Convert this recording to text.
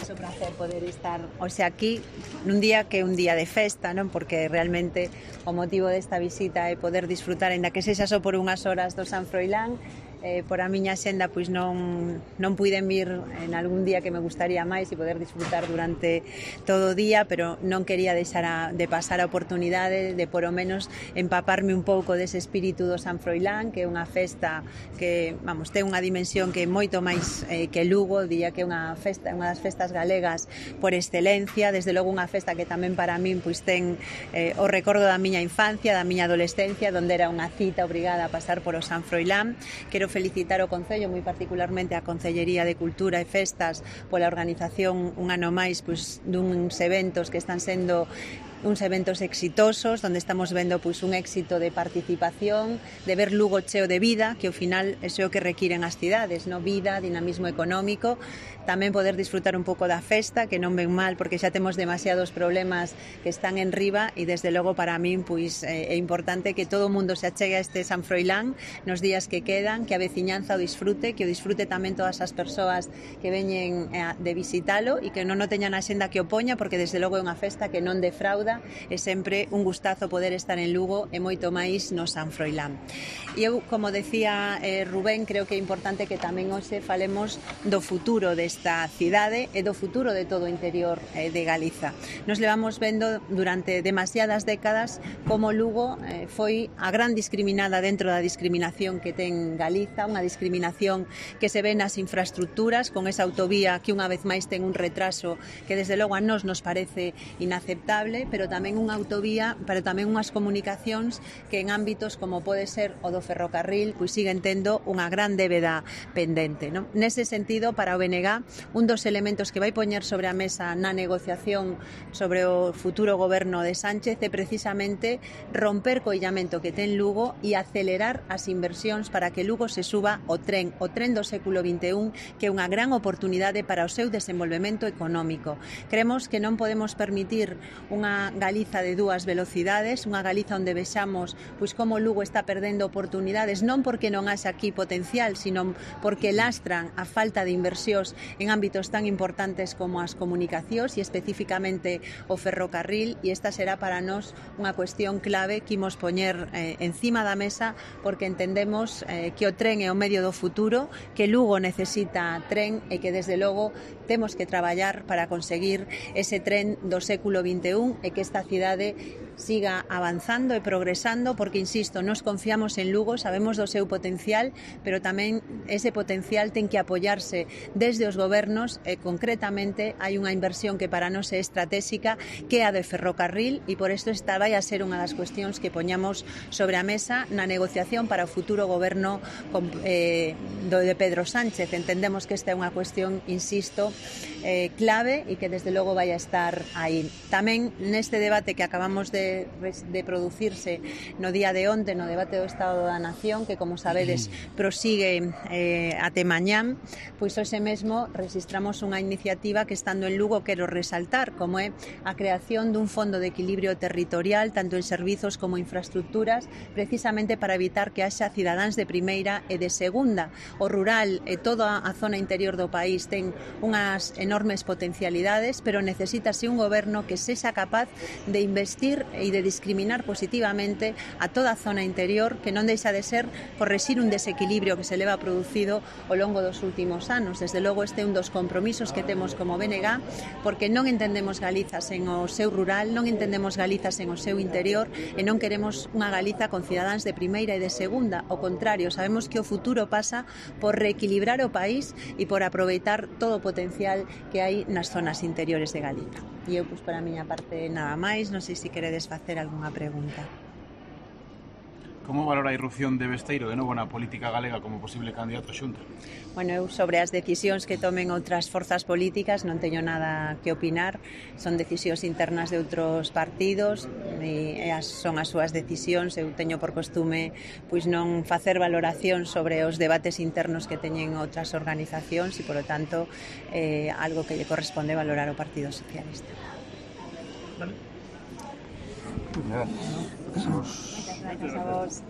moito prazer poder estar hoxe aquí nun día que é un día de festa, non? Porque realmente o motivo desta visita é poder disfrutar, ainda que sexa só por unhas horas, do San Froilán. Por a miña xenda pois non puiden vir en algún día que me gustaría máis e poder disfrutar durante todo o día, pero non quería deixar de pasar a oportunidade de por o menos empaparme un pouco dese espírito do San Froilán, que é unha festa que, vamos, ten unha dimensión que é moito máis que Lugo, diría que é unha das festas galegas por excelencia, desde logo unha festa que tamén para min pois ten o recordo da miña infancia, da miña adolescencia, onde era unha cita obrigada a pasar por o San Froilán. Quero felicitar o Concello, moi particularmente a Concellería de Cultura e Festas, pola organización un ano máis pois duns eventos que están sendo uns eventos exitosos, onde estamos vendo pois un éxito de participación, de ver Lugo cheo de vida, que ao final é o que requiren as cidades, no? Vida, dinamismo económico, tamén poder disfrutar un pouco da festa, que non ven mal, porque xa temos demasiados problemas que están en riba, e desde logo para min pois é importante que todo o mundo se achegue a este San Froilán nos días que quedan, que a veciñanza o disfrute, que o disfrute tamén todas as persoas que veñen de visitalo e que non o teñan a xenda que o poña, porque desde logo é unha festa que non defrauda. É sempre un gustazo poder estar en Lugo e moito máis no San Froilán. E eu, como decía Rubén, creo que é importante que tamén hoxe falemos do futuro desta cidade e do futuro de todo o interior de Galiza. Nos levamos vendo durante demasiadas décadas como Lugo foi a gran discriminada dentro da discriminación que ten Galiza, unha discriminación que se ve nas infraestructuras, con esa autovía que unha vez máis ten un retraso que desde logo a nós nos parece inaceptable, pero tamén unha autovía, pero tamén unhas comunicacións que en ámbitos como pode ser o do ferrocarril, pois siguen tendo unha gran débeda pendente, non? Nese sentido, para o BNG, un dos elementos que vai poñer sobre a mesa na negociación sobre o futuro goberno de Sánchez é precisamente romper co illamento que ten Lugo e acelerar as inversións para que Lugo se suba o tren do século XXI, que é unha gran oportunidade para o seu desenvolvemento económico. Creemos que non podemos permitir unha Galiza de dúas velocidades, unha Galiza onde vexamos pois como Lugo está perdendo oportunidades, non porque non haxa aquí potencial, sino porque lastran a falta de inversións en ámbitos tan importantes como as comunicacións e especificamente o ferrocarril, e esta será para nós unha cuestión clave que imos poñer encima da mesa, porque entendemos que o tren é o medio do futuro, que Lugo necesita tren e que desde logo temos que traballar para conseguir ese tren do século XXI e que esta cidade siga avanzando e progresando, porque, insisto, nos confiamos en Lugo, sabemos do seu potencial, pero tamén ese potencial ten que apoiarse desde os gobernos e, concretamente, hai unha inversión que para nós é estratégica, que é a de ferrocarril, e por isto esta vai a ser unha das cuestións que poñamos sobre a mesa na negociación para o futuro goberno de Pedro Sánchez. Entendemos que esta é unha cuestión, insisto, clave e que desde logo vai a estar aí. Tamén neste debate que acabamos de producirse no día de onte, no debate do Estado da Nación, que, como sabedes, prosigue até mañán, pois hoxe mesmo registramos unha iniciativa que, estando en Lugo, quero resaltar, como é a creación dun fondo de equilibrio territorial, tanto en servizos como infraestructuras, precisamente para evitar que haxa cidadáns de primeira e de segunda. O rural e toda a zona interior do país ten unhas enormes potencialidades, pero necesítase un goberno que sexa capaz de investir e de discriminar positivamente a toda a zona interior, que non deixa de ser correxir un desequilibrio que se leva producido ao longo dos últimos anos. Desde logo este é un dos compromisos que temos como BNG, porque non entendemos Galiza sen o seu rural, non entendemos Galiza sen o seu interior e non queremos unha Galiza con cidadáns de primeira e de segunda. Ao contrario, sabemos que o futuro pasa por reequilibrar o país e por aproveitar todo o potencial que hai nas zonas interiores de Galiza. E eu, pois, por a miña parte, nada máis. Non sei se queredes facer algunha pregunta. Como valora a irrupción de Besteiro de novo na política galega como posible candidato a Xunta? Bueno, eu sobre as decisións que tomen outras forzas políticas non teño nada que opinar. Son decisións internas de outros partidos e son as súas decisións. Eu teño por costume pois non facer valoración sobre os debates internos que teñen outras organizacións e, polo tanto, algo que lle corresponde valorar ao Partido Socialista. Vale. Nada, Muchas gracias a vos.